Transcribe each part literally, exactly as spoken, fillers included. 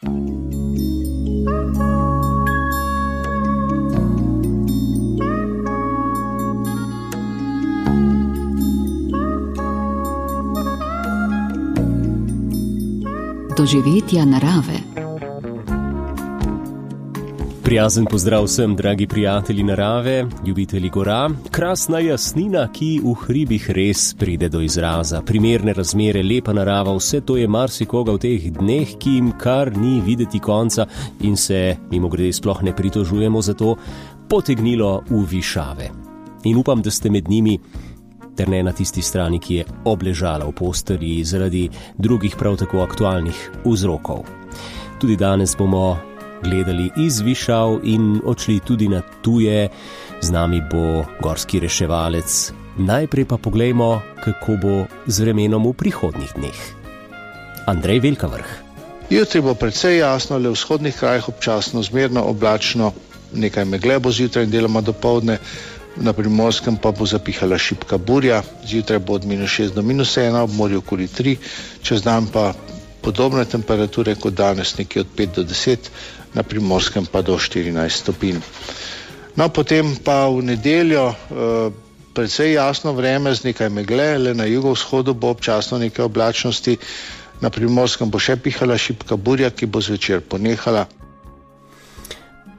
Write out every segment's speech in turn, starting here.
Doživetja narave. Prijazen pozdrav vsem, dragi prijatelji narave, ljubitelji gora. Krasna jasnina, ki v hribih res pride do izraza. Primerne razmere, lepa narava, vse to je marsikoga v teh dneh, ki jim kar ni videti konca in se, mimogrede, sploh ne pritožujemo za to, potegnilo v višave. In upam, da ste med njimi, ter ne na tisti strani, ki je obležala v postelji zaradi drugih prav tako aktualnih vzrokov. Tudi danes bomo gledali iz višav in odšli tudi na tuje. Z nami bo gorski reševalec. Najprej pa poglejmo, kako bo z vremenom v prihodnjih dneh. Andrej Velkavrh. Jutri bo precej jasno, le v vzhodnih krajih občasno zmerno oblačno, nekaj megle bo zjutraj in deloma dopoldne. Na Primorskem pa bo zapihala šibka burja, zjutraj bo od minus šest do minus ena, ob morju okoli tri, čez dan pa podobne temperature kot danes, nekje od pet do deset, na Primorskem pa do štirinajst stopinj. No, potem pa v nedeljo eh, precej jasno vreme z nekaj megle, le na jugovzhodu bo občasno nekaj oblačnosti, na Primorskem bo še pihala šibka burja, ki bo zvečer ponehala.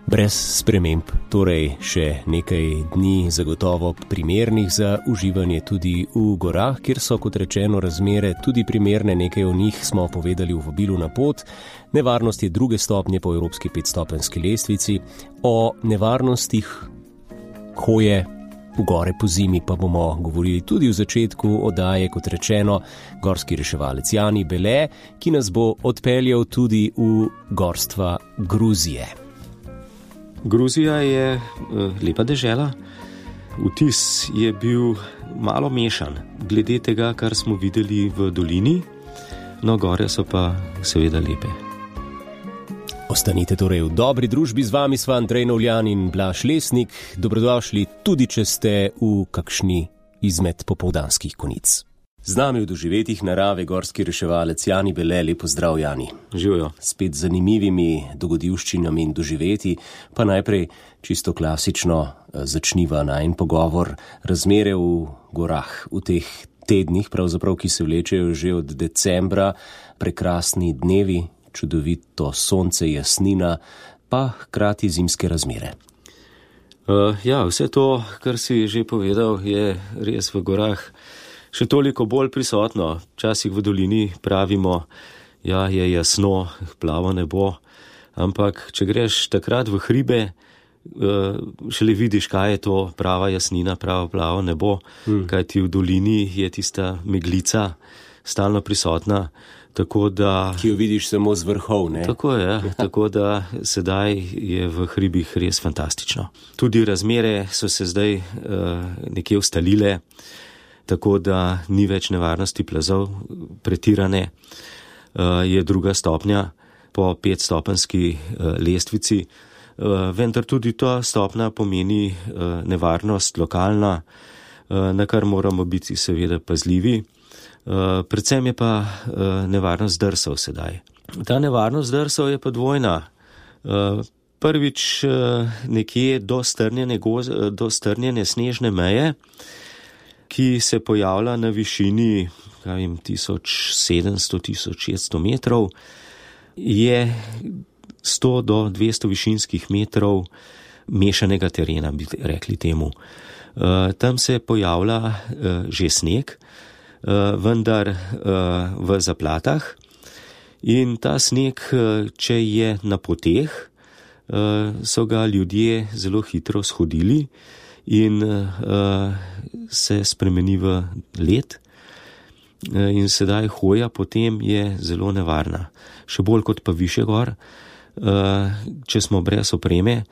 Brez sprememb, torej še nekaj dni zagotovo primernih za uživanje tudi v gorah, kjer so, kot rečeno, razmere tudi primerne, nekaj o njih smo povedali v vabilu na pot. Nevarnost je druge stopnje po evropski petstopenjski lestvici. O nevarnostih hoje v gore po zimi pa bomo govorili tudi v začetku oddaje, kot rečeno, gorski reševalec Jani Bele, ki nas bo odpeljal tudi v gorstva Gruzije. Gruzija je lepa dežela. Vtis je bil malo mešan, glede tega, kar smo videli v dolini, no gore so pa seveda lepe. Ostanite torej v dobri družbi, z vami sva Andrej Novljan in Blaž Lesnik. Dobrodošli tudi, če ste v kakšni izmed popoldanskih konic. Z nami v doživetjih narave gorski reševalec Jani Bele. Lep pozdrav, Jani. Živijo. Spet zanimivimi dogodivščinami in doživetji, pa najprej čisto klasično začniva najin pogovor. Razmere v gorah v teh tednih, pravzaprav, ki se vlečejo že od decembra, prekrasni dnevi, čudovito sonce, jasnina, pa hkrati zimske razmere. Uh, ja, vse to, kar si že povedal, je res v gorah še toliko bolj prisotno. Včasih v dolini pravimo, ja, je jasno, plavo nebo, ampak če greš takrat v hribe, šele vidiš, kaj je to prava jasnina, pravo plavo nebo, hmm. kajti v dolini je tista meglica stalno prisotna, tako da... Ki jo vidiš samo z vrhov, ne? Tako je, tako da sedaj je v hribih res fantastično. Tudi razmere so se zdaj uh, nekje ustalile, tako da ni več nevarnosti plazov pretirane, je druga stopnja po petstopenjski lestvici, vendar tudi ta stopnja pomeni nevarnost lokalna, na kar moramo biti seveda pazljivi. Predvsem je pa nevarnost drsov sedaj. Ta nevarnost drsov je pa dvojna. Prvič nekje do strnjene, goz, do strnjene snežne meje, ki se pojavlja na višini tisoč sedemsto do tisoč šeststo metrov, je sto do dvesto višinskih metrov mešanega terena, bi rekli temu. Tam se pojavlja že sneg, vendar v zaplatah, in ta sneg, če je na poteh, so ga ljudje zelo hitro shodili in uh, se spremeni v led, uh, in sedaj hoja potem je zelo nevarna. Še bolj kot pa više gor, uh, če smo brez opreme.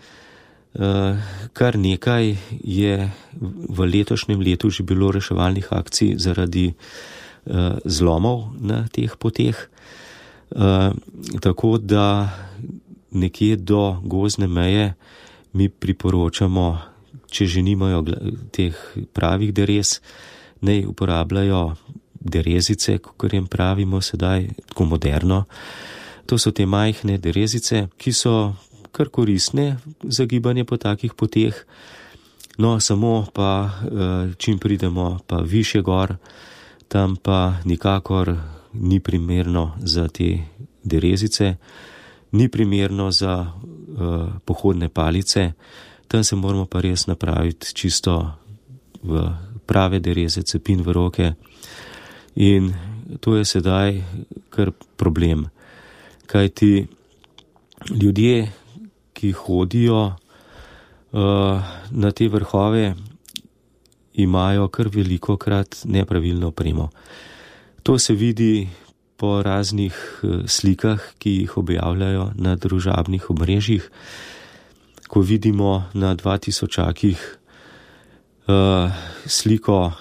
Uh, kar nekaj je v letošnjem letu že bilo reševalnih akcij zaradi uh, zlomov na teh poteh, uh, tako da nekje do gozdne meje mi priporočamo, če že nimajo teh pravih derez, naj uporabljajo derezice, kakor jim pravimo sedaj, tako moderno, To so te majhne derezice, ki so kar koristne za gibanje po takih poteh. No, samo pa, čim pridemo pa višje gor, tam pa nikakor ni primerno za te derezice, ni primerno za uh, pohodne palice. Tam se moramo pa res napraviti čisto v prave dereze, cepin v roke. In to je sedaj kar problem. Kajti ljudje, ki hodijo uh, na te vrhove, imajo kar veliko krat nepravilno opremo. To se vidi po raznih uh, slikah, ki jih objavljajo na družabnih omrežjih. Ko vidimo na dva tisočakih uh, sliko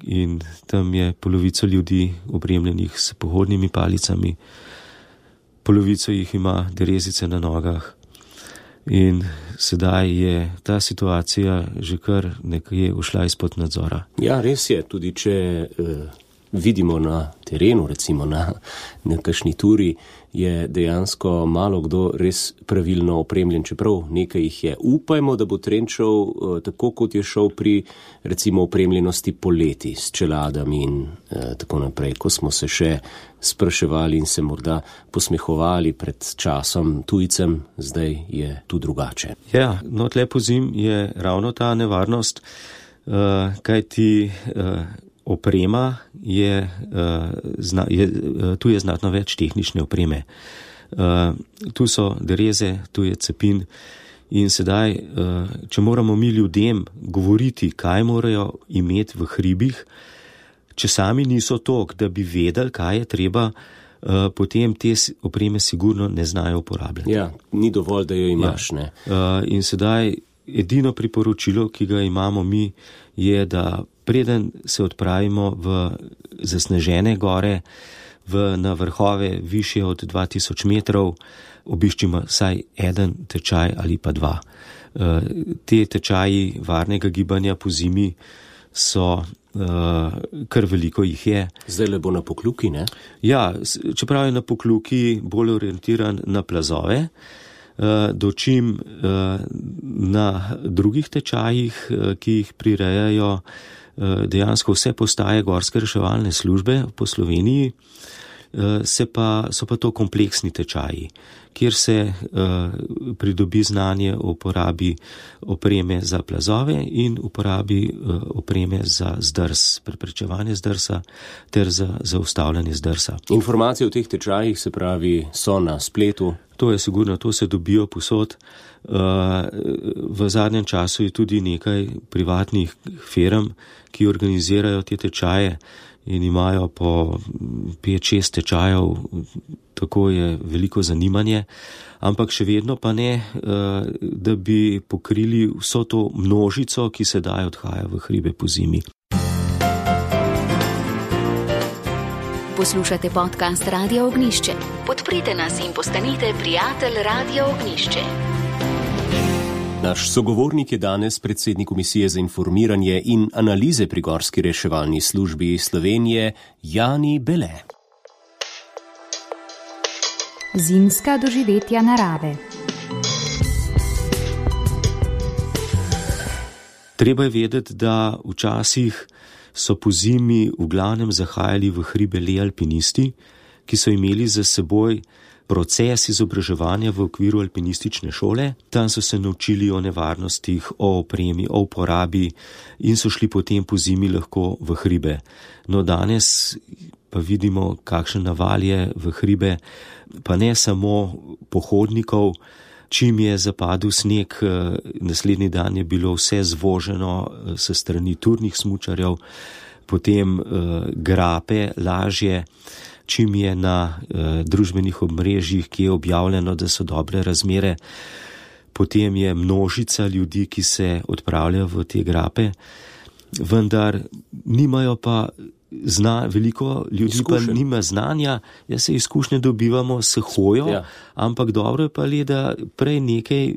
in tam je polovico ljudi opremljenih s pohodnimi palicami, polovico jih ima derezice na nogah. In sedaj je ta situacija že kar nekje ušla izpod nadzora. Ja, res je, tudi če eh, vidimo na terenu, recimo na nekakšni turi, je dejansko malo kdo res pravilno opremljen, čeprav nekaj jih je. Upajmo, da bo trend šel eh, tako, kot je šel pri recimo opremljenosti poleti s čeladami in eh, tako naprej, ko smo se še spraševali in se morda posmehovali pred časom tujcem, zdaj je tu drugače. Ja, no tle pozim je ravno ta nevarnost, uh, kajti uh, oprema je, uh, zna, je uh, tu je znatno več tehnične opreme. Uh, tu so dereze, tu je cepin in sedaj, uh, če moramo mi ljudem govoriti, kaj morajo imeti v hribih, če sami niso tok, da bi vedeli, kaj je treba, uh, potem te opreme sigurno ne znajo uporabljati. Ja, ni dovolj, da jo imaš, ja. ne. Uh, in sedaj edino priporočilo, ki ga imamo mi, je, da preden se odpravimo v zasnežene gore, v, na vrhove višje od dva tisoč metrov, obiščimo vsaj eden tečaj ali pa dva. Uh, te tečaji varnega gibanja po zimi so Uh, kar veliko jih je. Zdaj le bo na Pokljuki, ne? Ja, čeprav je na Pokljuki bolj orientiran na plazove, uh, dočim uh, na drugih tečajih, uh, ki jih prirejajo uh, dejansko vse postaje gorske reševalne službe po Sloveniji, uh, se pa, so pa to kompleksni tečaji, kjer se uh, pridobi znanje o uporabi opreme za plazove in uporabi uh, opreme za zdrs, preprečevanje zdrsa ter za zaustavljanje zdrsa. Informacije o teh tečajih, se pravi, so na spletu? To je sigurno, to se dobijo povsod. Uh, v zadnjem času je tudi nekaj privatnih firm, ki organizirajo te tečaje in imajo po pet šest tečajev, tako je veliko zanimanje, ampak še vedno pa ne, da bi pokrili vso to množico, ki sedaj odhaja v hribe po zimi. Poslušate podcast Radia Ognjišče. Podprite nas in postanite prijatelj Radia Ognjišče. Naš sogovornik je danes predsednik Komisije za informiranje in analize pri Gorski reševalni službi Slovenije, Jani Bele. Zimska doživetja narave. Treba je vedeti, da včasih so po zimi v glavnem zahajali v hribe le alpinisti, ki so imeli za seboj proces izobraževanja v okviru alpinistične šole. Tam so se naučili o nevarnostih, o opremi, o uporabi in so šli potem po zimi lahko v hribe. No, danes pa vidimo, kakšen naval je v hribe, pa ne samo pohodnikov. Čim je zapadel sneg, naslednji dan je bilo vse zvoženo se strani turnih smučarjev, potem grape, lažje. Čim je na eh, družbenih omrežjih, ki je objavljeno, da so dobre razmere, potem je množica ljudi, ki se odpravljajo v te grape, vendar nimajo pa zna, veliko ljudi Izkušen. Pa nima znanja, ja se izkušnje dobivamo s hojo, ja. Ampak dobro je pa le, da prej nekaj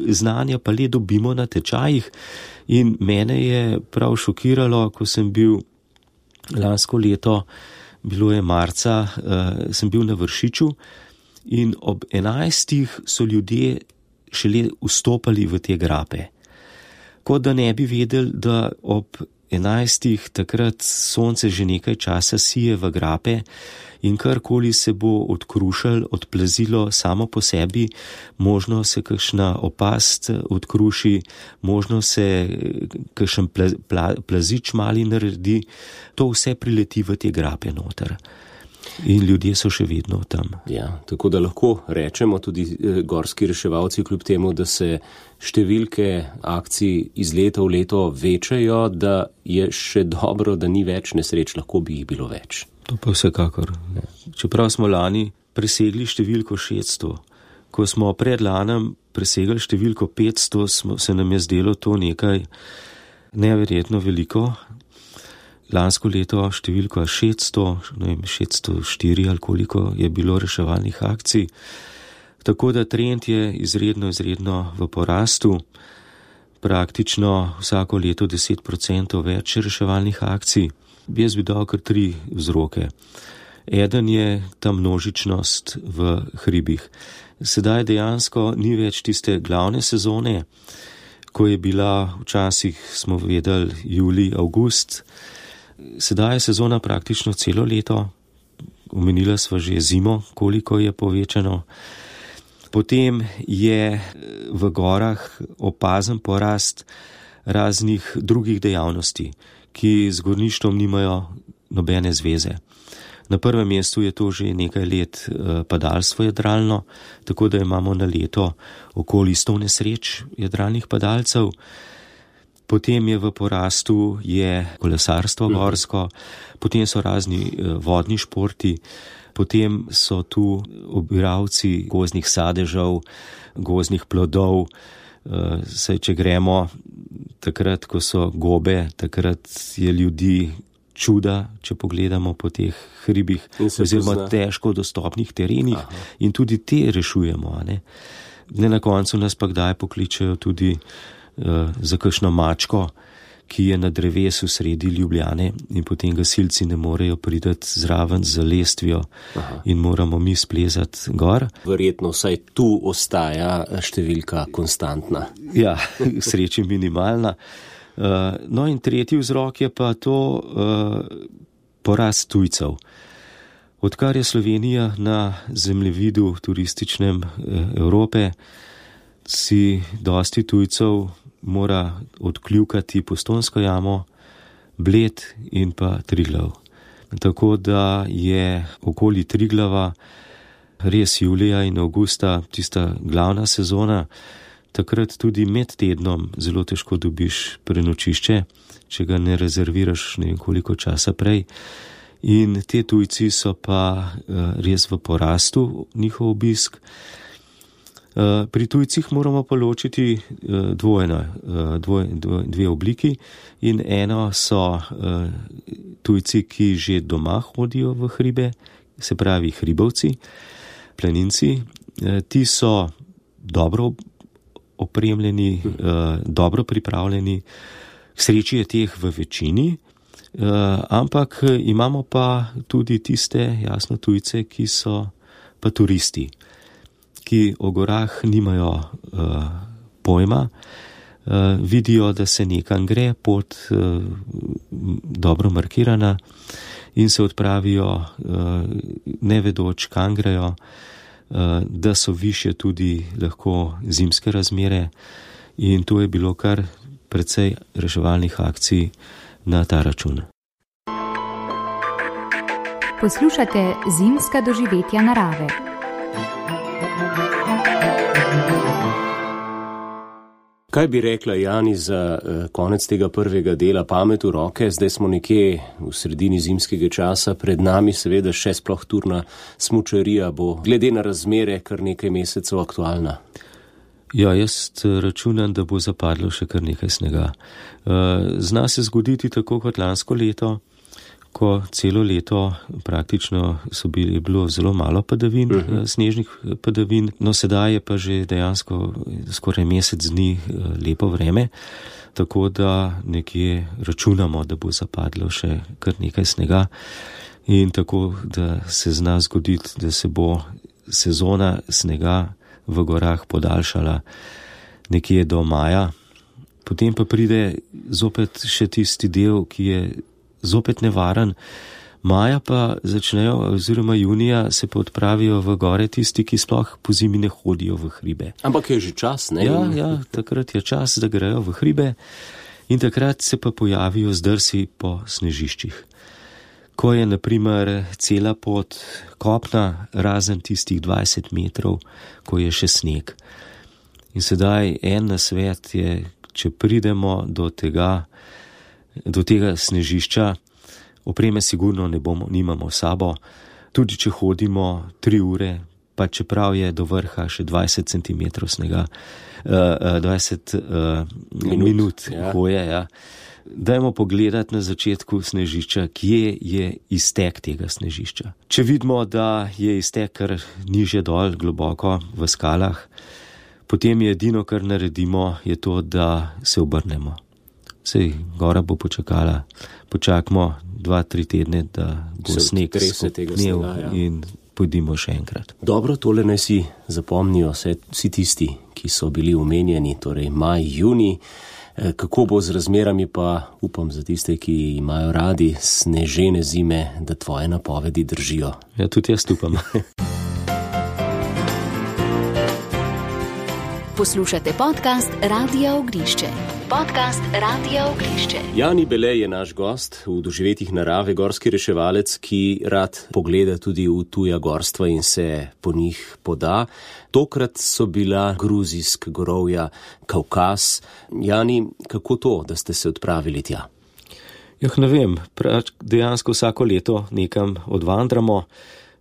znanja pa le dobimo na tečajih in mene je prav šokiralo, ko sem bil lansko leto, bilo je marca, uh, sem bil na Vršiču in ob enajstih so ljudje šele vstopali v te grape. Kot da ne bi vedeli, da ob enajstih takrat sonce že nekaj časa sije v grape in karkoli se bo odkrušalo, odplazilo samo po sebi, možno se kakšna opast odkruši, možno se kakšen pla, pla, plazič mali naredi, to vse prileti v te grape noter. In ljudje so še vedno tam. Ja, tako da lahko rečemo tudi gorski reševalci, kljub temu, da se številke akcij iz leta v leto večajo, da je še dobro, da ni več nesreč, lahko bi jih bilo več. To pa vsekakor. Ja. Čeprav smo lani presegli številko šeststo, ko smo pred lanem presegli številko petsto, smo, se nam je zdelo to nekaj neverjetno veliko. Lansko leto številko šeststo, ne vem, šeststo štiri ali koliko je bilo reševalnih akcij. Tako da trend je izredno, izredno v porastu. Praktično vsako leto deset procentov več reševalnih akcij. Jaz bi dal kar tri vzroke. Eden je ta množičnost v hribih. Sedaj dejansko ni več tiste glavne sezone, ko je bila včasih, smo vedeli, julij, avgust. Sedaj je sezona praktično celo leto, omenila sva že zimo, koliko je povečano. Potem je v gorah opazen porast raznih drugih dejavnosti, ki z gorništvom nimajo nobene zveze. Na prvem mestu je to že nekaj let padalstvo jadralno, tako da imamo na leto okoli sto nesreč jadralnih padalcev. Potem je v porastu je kolesarstvo gorsko, potem so razni vodni športi, potem so tu obiralci gozdnih sadežev, gozdnih plodov. Saj, če gremo takrat, ko so gobe, takrat je ljudi čuda, če pogledamo po teh hribih, oziroma težko dostopnih terenih. Aha. In tudi te rešujemo. Ne? Ne na koncu nas pa kdaj pokličejo tudi za kakšno mačko, ki je na drevesu sredi Ljubljane in potem gasilci ne morejo priti zraven z lestvijo. Aha. In moramo mi splezati gor. Verjetno vsaj tu ostaja številka konstantna. Ja, sreči minimalna. No in tretji vzrok je pa to porast tujcev. Odkar je Slovenija na zemljevidu turističnem Evrope, si dosti tujcev mora odkljukati Postojnsko jamo, Bled in pa Triglav. Tako da je okoli Triglava res julija in avgusta tista glavna sezona. Takrat tudi med tednom zelo težko dobiš prenočišče, če ga ne rezerviraš ne vem koliko časa prej. In te tujci so pa res v porastu, njihov obisk. Pri tujcih moramo pa ločiti dvojno, dvoj, dvoj, dve obliki in eno so tujci, ki že doma hodijo v hribe, se pravi hribovci, planinci. Ti so dobro opremljeni, dobro pripravljeni, k sreči je teh v večini, ampak imamo pa tudi tiste, jasno, tujce, ki so pa turisti, ki o gorah nimajo uh, pojma, uh, vidijo, da se nekam gre, pot uh, dobro markirana in se odpravijo, uh, ne vedoč, kam grejo, uh, da so višje tudi lahko zimske razmere in to je bilo kar precej reševalnih akcij na ta račun. Poslušate zimska doživetja narave. Kaj bi rekla Jani za uh, konec tega prvega dela Pamet v roke? Zdaj smo nekje v sredini zimskega časa, pred nami seveda še sploh turna smučarija bo glede na razmere kar nekaj mesecev aktualna. Ja, jaz računam, da bo zapadlo še kar nekaj snega. Uh, zna se zgoditi tako kot lansko leto, ko celo leto praktično so bili, bilo zelo malo padavin, uh-huh. snežnih padavin, no sedaj je pa že dejansko skoraj mesec dni lepo vreme, tako da nekje računamo, da bo zapadlo še kar nekaj snega in tako, da se zna zgoditi, da se bo sezona snega v gorah podaljšala nekje do maja. Potem pa pride zopet še tisti del, ki je zopet nevaren. Maja pa začnejo, oziroma junija se pa odpravijo v gore tisti, ki sploh po zimi ne hodijo v hribe. Ampak je že čas, ne? Ja, ja, takrat je čas, da grejo v hribe in takrat se pa pojavijo zdrsi po snežiščih. Ko je, na primer, cela pot kopna, razen tistih dvajset metrov, ko je še sneg. In sedaj en nasvet je, če pridemo do tega, do tega snežišča, opreme sigurno ne bomo, nimamo sabo, tudi če hodimo tri ure, pa čeprav je do vrha še dvajset centimetrov snega, uh, dvajset uh, minut, minut ja. hoje, ja. Dajmo pogledati na začetku snežišča, kje je iztek tega snežišča. Če vidimo, da je iztek kar niže dol, globoko v skalah, potem je edino, kar naredimo, je to, da se obrnemo. Sej, gora bo počakala, počakamo dva, tri tedne, da bo se sneg skopnel ja. in pojdimo še enkrat. Dobro, tole naj si zapomnijo vse, vsi tisti, ki so bili omenjeni, torej maj, juni. Kako bo z razmerami, pa upam za tiste, ki imajo radi snežene zime, da tvoje napovedi držijo. Ja, tudi jaz upam. Poslušate podcast Radia Ognišče. Podcast Radia Ognišče. Jani Bele je naš gost v doživetjih narave, gorski reševalec, ki rad pogleda tudi v tuja gorstva in se po njih poda. Tokrat so bila gruzijsk gorovja, Kavkaz. Jani, kako to, da ste se odpravili tja? Jah, ne vem, dejansko vsako leto nekam odvandramo.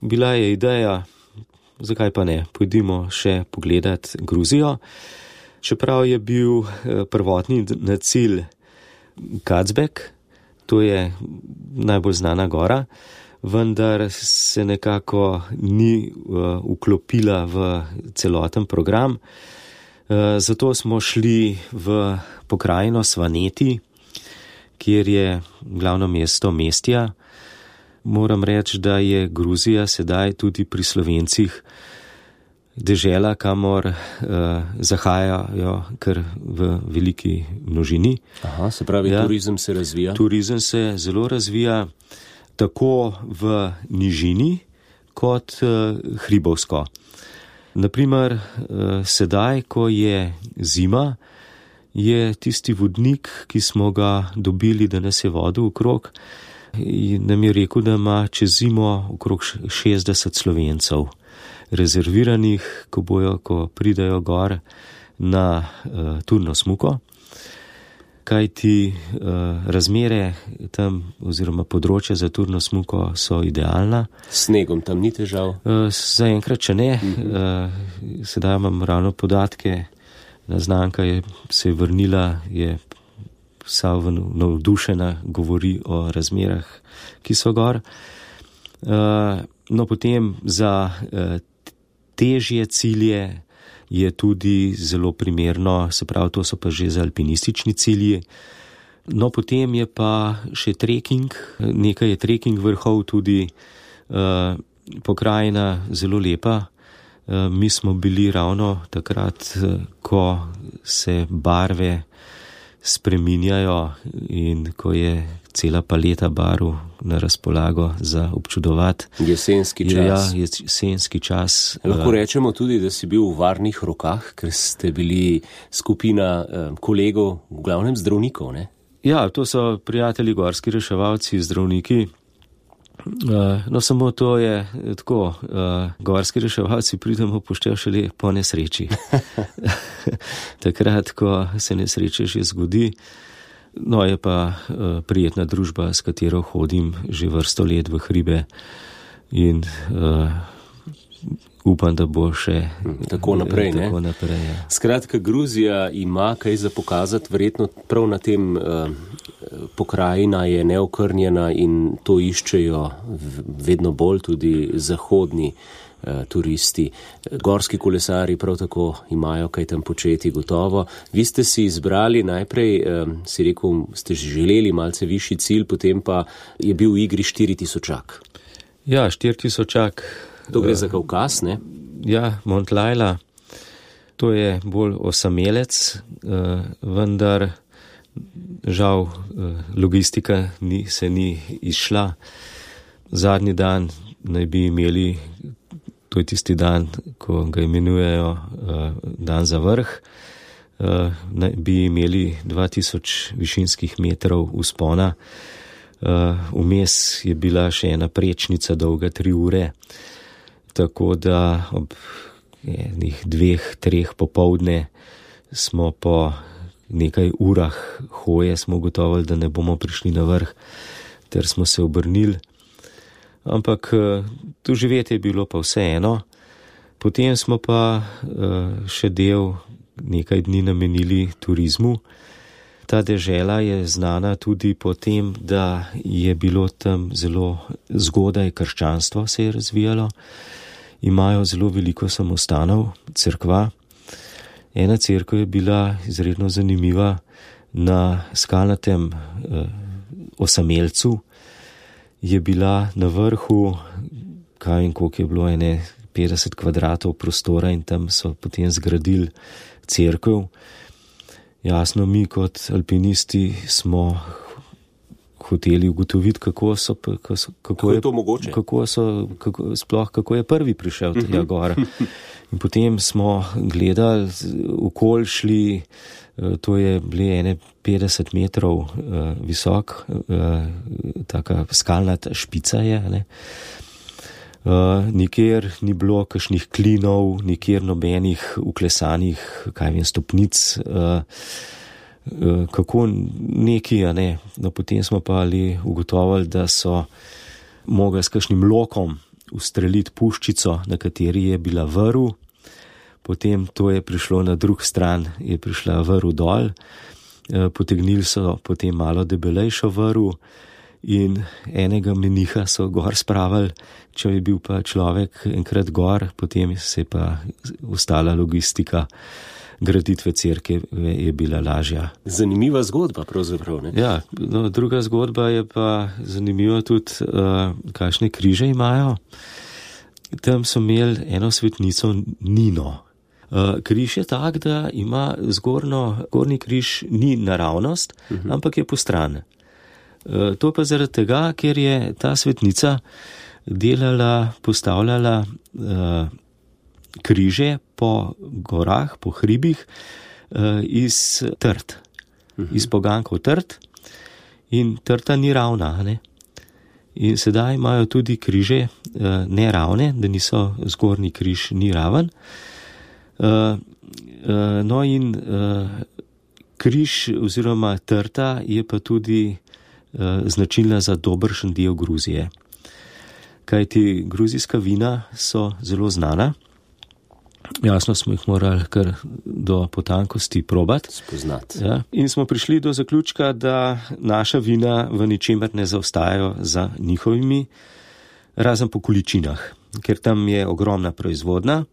Bila je ideja, zakaj pa ne, pojdimo še pogledat Gruzijo. Čeprav je bil prvotni cilj Kacbek, to je najbolj znana gora, vendar se nekako ni uh, vklopila v celoten program. Uh, zato smo šli v pokrajino Svaneti, kjer je glavno mesto Mestja. Moram reči, da je Gruzija sedaj tudi pri Slovencih dežela, kamor uh, zahajajo kar v veliki množini. Aha, se pravi, ja, turizem se razvija? Turizem se zelo razvija, tako v nižini kot uh, hribovsko. Naprimer, uh, sedaj, ko je zima, je tisti vodnik, ki smo ga dobili, da nas je vodil okrog, in nam je rekel, da ima čez zimo okrog šestdeset Slovencev rezerviranih, ko bojo, ko pridajo gor na uh, turno smuko. Kaj ti uh, razmere tam oziroma področja za turno smuko so idealna. Snegom tam ni težav? Uh, zaenkrat, če ne. Mm-hmm. Uh, sedaj imam ravno podatke, znanka je se je vrnila, je vsa navdušena, govori o razmerah, ki so gor. Uh, no, potem za uh, težje cilje je tudi zelo primerno, se pravi, to so pa že za alpinistični cilji. No, potem je pa še trekking, nekaj je trekking vrhov tudi, uh, pokrajina zelo lepa. Uh, mi smo bili ravno takrat, uh, ko se barve spreminjajo in ko je cela paleta barv na razpolago za občudovati. Jesenski čas. Ja, jesenski čas. Lahko rečemo tudi, da si bil v varnih rokah, ker ste bili skupina eh, kolegov, v glavnem zdravnikov, ne? Ja, to so prijatelji gorski reševalci, zdravniki. Uh, no, samo to je tako, uh, gorski reševalci pridemo poštev šele po nesreči. Takrat, ko se nesreče že zgodi. No, je pa uh, prijetna družba, s katero hodim že vrsto let v hribe in uh, upam, da bo še tako naprej. Tako naprej ja. Skratka, Gruzija ima kaj za pokazati, verjetno prav na tem uh, pokrajina je neokrnjena in to iščejo vedno bolj tudi zahodni uh, turisti. Gorski kolesari prav tako imajo kaj tam početi, gotovo. Vi ste si izbrali najprej, uh, si rekel, ste želeli malce višji cilj, potem pa je bil v igri štiri tisočak. Ja, štiri tisočak To gre za Kavkaz, ne? Ja, Mont Lajla. To je bolj osamelec, vendar žal logistika ni, se ni izšla. Zadnji dan naj bi imeli, to je tisti dan, ko ga imenujejo dan za vrh, naj bi imeli dva tisoč višinskih metrov vzpona. Vmes je bila še ena prečnica dolga tri ure, tako da ob enih dveh, treh popoldne smo po nekaj urah hoje smo ugotovili, da ne bomo prišli na vrh, ter smo se obrnili. Ampak tu živeti je bilo pa vseeno. Potem smo pa še del nekaj dni namenili turizmu. Ta dežela je znana tudi po tem, da je bilo tam zelo zgodaj krščanstvo se je razvijalo. Imajo zelo veliko samostanov, cerkva. Ena cerkev je bila izredno zanimiva na skalnatem eh, osamelcu. Je bila na vrhu, kaj in koliko je bilo, ene petdeset kvadratov prostora in tam so potem zgradili cerkev. Jasno, mi kot alpinisti smo hoteli ugotoviti, kako so, kako, so, kako, kako je to mogoče, kako so, kako, sploh kako je prvi prišel tja gor. In potem smo gledali, okoli šli, to je bile ene petdeset metrov uh, visok, uh, taka skalnata špica je, ne. Uh, nikjer ni bilo kakšnih klinov, nikjer nobenih uklesanih, kaj vem, stopnic, uh, uh, kako neki, a ne. No, potem smo pa ali ugotovili, da so mogli s kakšnim lokom ustreliti puščico, na kateri je bila vrv. Potem to je prišlo na drug stran, je prišla vrv dol, uh, potegnili so potem malo debelejšo vrv in enega meniha so gor spravili. Če je bil pa človek enkrat gor, potem se je pa ostala logistika graditve cerkve je bila lažja. Zanimiva zgodba pravzaprav, ne? Ja, no, druga zgodba je pa zanimiva tudi, uh, kakšne križe imajo. Tam so imeli eno svetnico Nino. Uh, križ je tak, da ima zgornjo, gornji križ ni naravnost, uh-huh. ampak je postran. Uh, to pa zaradi tega, ker je ta svetnica delala, postavljala uh, križe po gorah, po hribih uh, iz trt, uh-huh. iz pogankov trt in trta ni ravna, ne? In sedaj imajo tudi križe uh, neravne, da niso zgornji križ ni raven. Uh, uh, no in uh, križ oziroma trta je pa tudi uh, značilna za dobršen del Gruzije. Kajti gruzijska vina so zelo znana. Jasno smo jih morali kar do potankosti probati. Spoznati. Ja. In smo prišli do zaključka, da naša vina v ničemer ne zaostajajo za njihovimi, razen po količinah, ker tam je ogromna proizvodnja.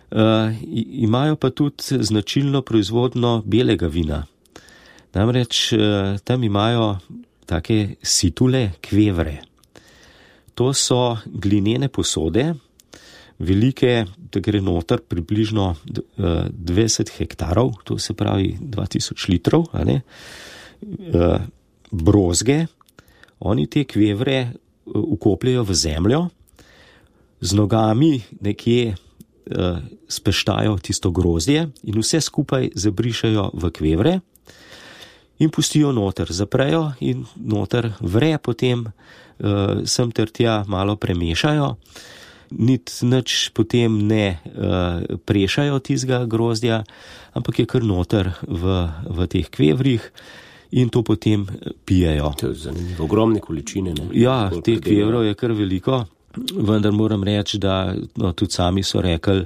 Uh, imajo pa tudi značilno proizvodno belega vina. Namreč uh, tam imajo take situle, kvevre. To so glinene posode, velike, da gre noter približno uh, dvajset hektarov, to se pravi dva tisoč litrov, a ne, uh, brozge. Oni te kvevre uh, ukopljajo v zemljo, z nogami nekje uh, speštajo tisto grozdje in vse skupaj zabrišajo v kvevre in pustijo noter, zaprejo in noter vre, potem uh, sem ter tja malo premešajo, nit nič potem ne uh, prešajo tistega grozdja, ampak je kar noter v, v teh kvevrih in to potem pijejo. To je zanimivo, ogromne količine, ne? Ja, teh kvevrov je kar veliko, vendar moram reči, da no, tudi sami so rekli,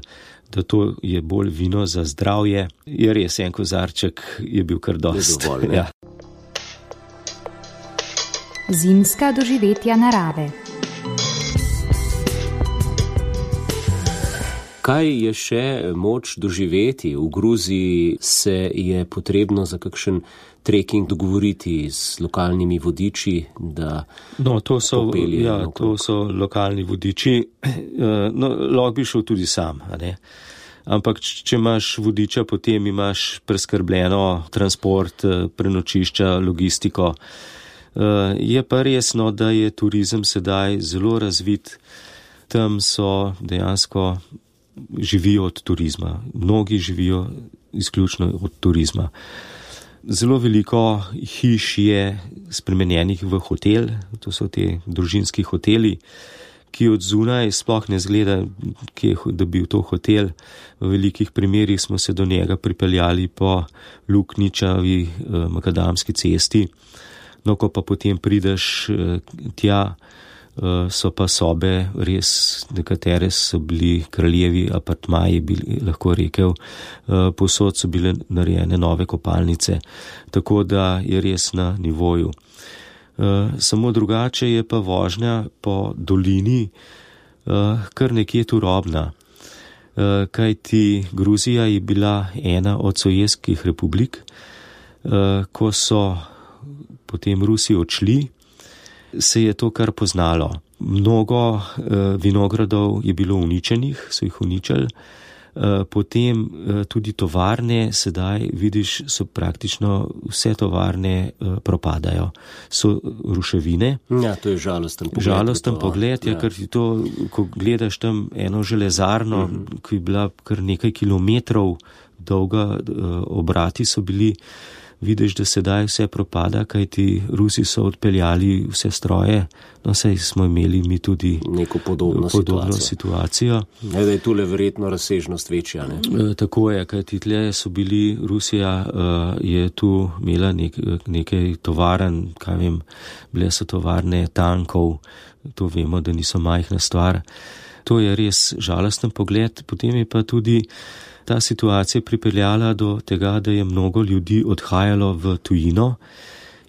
da to je bolj vino za zdravje. Je res, en kozarček je bil kar dost. Ja. Zimska doživetja narave. Kaj je še moč doživeti? V Gruziji se je potrebno za kakšen trekking dogovoriti z lokalnimi vodiči, da no, to so, popelje ja, okrog. To so lokalni vodiči. No, lahko bi šel tudi sam, a ne? Ampak če imaš vodiča, potem imaš preskrbljeno transport, prenočišča, logistiko. Je pa resno, da je turizem sedaj zelo razvit. Tam so dejansko živijo od turizma. Mnogi živijo izključno od turizma. Zelo veliko hiš je spremenjenih v hotel, to so te družinski hoteli, ki od zunaj sploh ne zgleda, da bi v to hotel. V velikih primerih smo se do njega pripeljali po Lukničavi eh, makadamski cesti. No, ko pa potem prideš eh, tja, eh, so pa sobe res, nekatere so bili kraljevi apartmaji, bi lahko rekel, eh, povsod so bile narejene nove kopalnice, tako da je res na nivoju. Uh, samo drugače je pa vožnja po dolini uh, kar nekje turobna, uh, kajti Gruzija je bila ena od sovjetskih republik, uh, ko so potem Rusi odšli, se je to kar poznalo. Mnogo uh, vinogradov je bilo uničenih, so jih uničili. Potem tudi tovarne, sedaj vidiš, so praktično vse tovarne propadajo. So ruševine. Ja, to je žalosten pogled. Žalosten pogled, ja, ker ti to, ko gledaš tam eno železarno, uh-huh. ki je bila kar nekaj kilometrov dolga, obrati so bili, vidiš, da sedaj vse propada, kajti Rusi so odpeljali vse stroje, no saj smo imeli mi tudi neko podobno, podobno situacijo. situacijo. Ne, da je tule verjetno razsežnost večja, ne? E, tako je, kajti tle so bili, Rusija uh, je tu imela nek, nekaj tovaren, kaj vem, bile so tovarne tankov, to vemo, da niso majhna stvar. To je res žalosten pogled, potem je pa tudi ta situacija pripeljala do tega, da je mnogo ljudi odhajalo v tujino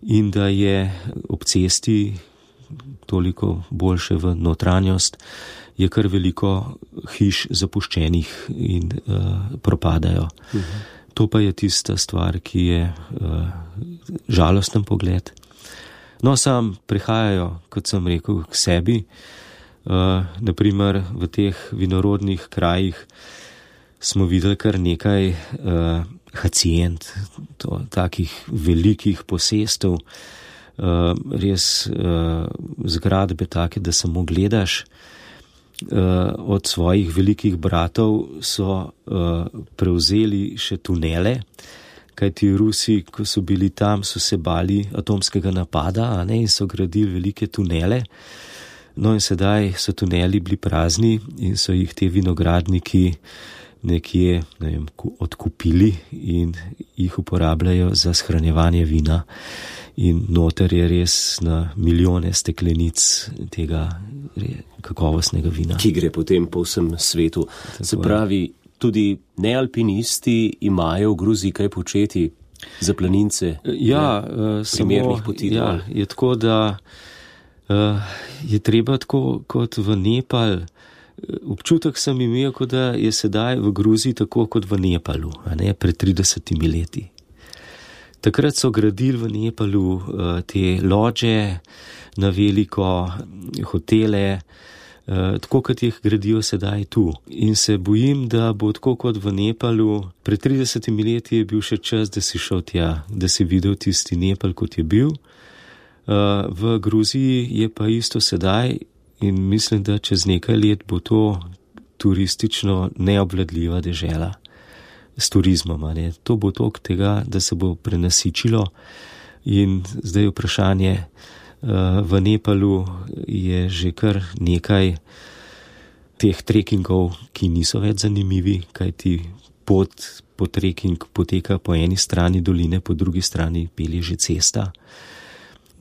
in da je ob cesti toliko boljše v notranjost, je kar veliko hiš zapuščenih in uh, propadajo. Uh-huh. To pa je tista stvar, ki je uh, žalosten pogled. No, sam prihajajo, kot sem rekel, k sebi, uh, naprimer v teh vinorodnih krajih smo videli kar nekaj uh, hacijent, to, takih velikih posestev, uh, res uh, zgradbe take, da samo gledaš. Uh, od svojih velikih bratov so uh, prevzeli še tunele, kajti Rusi, ko so bili tam, so se bali atomskega napada, a ne, in so gradili velike tunele. No in sedaj so tuneli bili prazni in so jih te vinogradniki nekje, ne vem, odkupili in jih uporabljajo za shranjevanje vina. In noter je res na milijone steklenic tega kakovostnega vina. Ki gre potem po vsem svetu. Tako se pravi, tudi nealpinisti imajo v Gruziji kaj početi za planince? Ja, uh, primernih samo, poti. Ja, je tako, da uh, je treba tako kot v Nepal. Občutek sem imel, kot da je sedaj v Gruziji tako kot v Nepalu, a ne, pred tridesetimi leti. Takrat so gradili v Nepalu uh, te lodže na veliko, hotele, uh, tako kot jih gradijo sedaj tu. In se bojim, da bo tako kot v Nepalu, pred tridesetimi leti je bil še čas, da si šel tja, da si videl tisti Nepal, kot je bil. Uh, v Gruziji je pa isto sedaj. In mislim, da čez nekaj let bo to turistično neobvladljiva dežela s turizmom. Ne? To bo tok tega, da se bo prenasičilo. In zdaj vprašanje, v Nepalu je že kar nekaj teh trekingov, ki niso več zanimivi, kajti pot po trekking poteka po eni strani doline, po drugi strani pelje že cesta.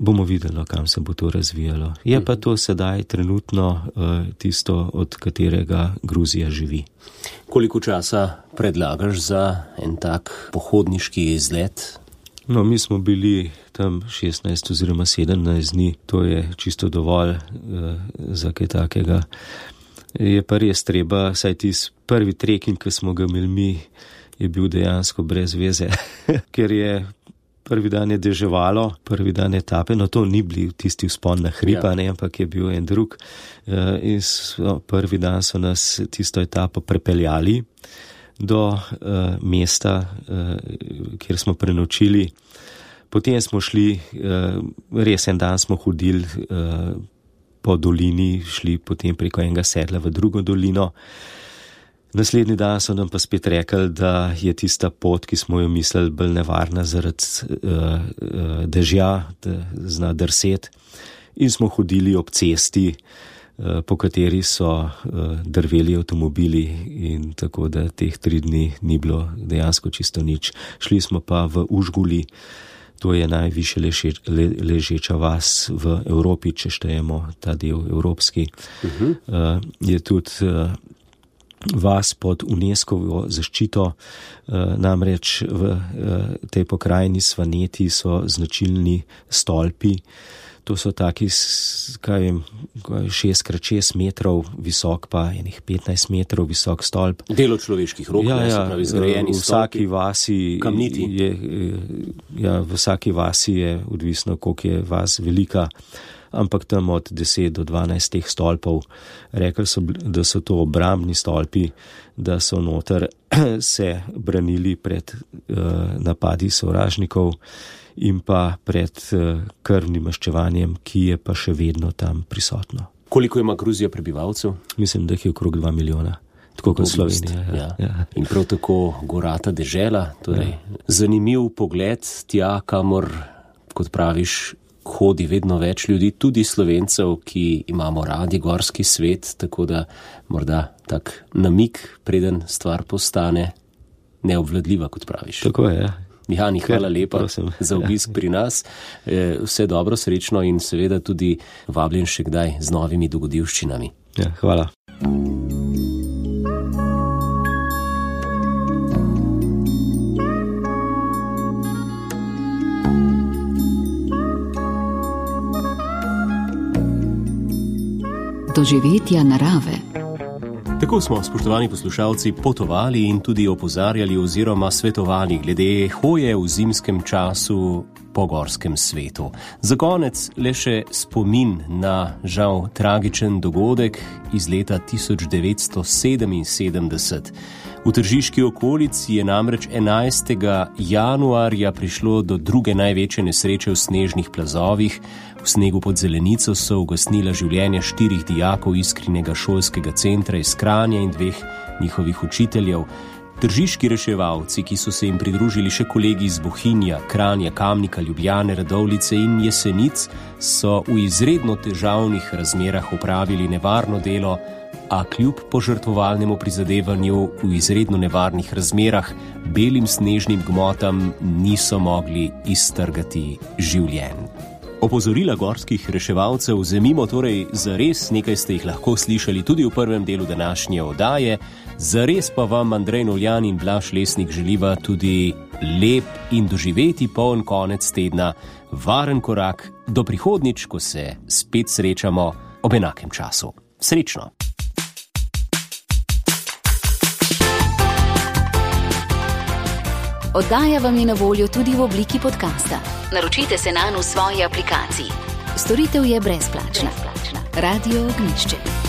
Bomo videli, kam se bo to razvijalo. Je pa to sedaj trenutno uh, tisto, od katerega Gruzija živi. Koliko časa predlagaš za en tak pohodniški izlet? No, mi smo bili tam šestnajst oziroma sedemnajst dni, to je čisto dovolj uh, za kaj takega. Je pa res treba, saj tisti prvi trekking, ki smo ga imeli mi, je bil dejansko brez veze, ker je prvi dan je deževalo, prvi dan etape, no to ni bil tisti vzpon na hrib, ja. ne, ampak je bil en drug. In so, prvi dan so nas tisto etapo prepeljali do uh, mesta, uh, kjer smo prenočili. Potem smo šli, uh, res en dan smo hodili uh, po dolini, šli potem preko enega sedla v drugo dolino. Naslednji dan so nam pa spet rekli, da je tista pot, ki smo jo mislili, bolj nevarna zaradi uh, uh, dežja, da zna drset. In smo hodili ob cesti, uh, po kateri so uh, drveli avtomobili in tako da teh tri dni ni bilo dejansko čisto nič. Šli smo pa v Užguli, to je najviše leže, le, ležeča vas v Evropi, če štejemo ta del evropski. Uh-huh. Uh, je tudi uh, vas pod UNESCO-vo zaščito, namreč v tej pokrajini Svaneti so značilni stolpi. To so taki, kaj vem, šest krat šest metrov visok, pa enih petnajst metrov visok stolp. Delo človeških rok, ja, ja, pravi zgrajeni v vsaki vasi kamniti. Je, ja, v vsaki vasi je odvisno, koliko je vas velika, ampak tam od deset do dvanajst teh stolpov. Rekli so, da so to obrambni stolpi, da so noter se branili pred uh, napadi sovražnikov in pa pred uh, krvnim maščevanjem, ki je pa še vedno tam prisotno. Koliko ima Gruzija prebivalcev? Mislim, da jih je okrog dva milijona. Tako kot Slovenija. Ja, ja. Ja. In prav tako gorata dežela. Torej, ja. Zanimiv pogled tja, kamor, kot praviš, hodi vedno več ljudi, tudi Slovencev, ki imamo radi gorski svet, tako da morda tak namik, preden stvar postane neobvladljiva, kot praviš. Tako je, ja. Mihani, hvala lepa Prosim. za obisk ja. pri nas. Vse dobro, srečno in seveda tudi vabljen še kdaj z novimi dogodivščinami. Ja, hvala. Doživetja narave. Tako smo, spoštovani poslušalci, potovali in tudi opozarjali oziroma svetovali glede hoje v zimskem času po gorskem svetu. Za konec le še spomin na žal tragičen dogodek iz leta tisoč devetsto sedeminsedemdeset. V tržiški okolici je namreč enajstega januarja prišlo do druge največje nesreče v snežnih plazovih. V snegu pod Zelenico so ugasnila življenje štirih dijakov Iskrinega šolskega centra iz Kranja in dveh njihovih učiteljev. Tržiški reševalci, ki so se jim pridružili še kolegi iz Bohinja, Kranja, Kamnika, Ljubljane, Radovljice in Jesenic, so v izredno težavnih razmerah opravili nevarno delo, a kljub požrtvovalnemu prizadevanju v izredno nevarnih razmerah belim snežnim gmotam niso mogli iztrgati življenj. Opozorila gorskih reševalcev vzemimo torej zares, nekaj ste jih lahko slišali tudi v prvem delu današnje oddaje, zares pa vam Andrej Novljan in Blaž Lesnik želiva tudi lep in doživeti poln konec tedna, varen korak do prihodnjič, ko se spet srečamo ob enakem času. Srečno! Oddaja vam je na voljo tudi v obliki podcasta. Naročite se nanj v svoji aplikaciji. Storitev je brezplačna. Radio Ognjišče.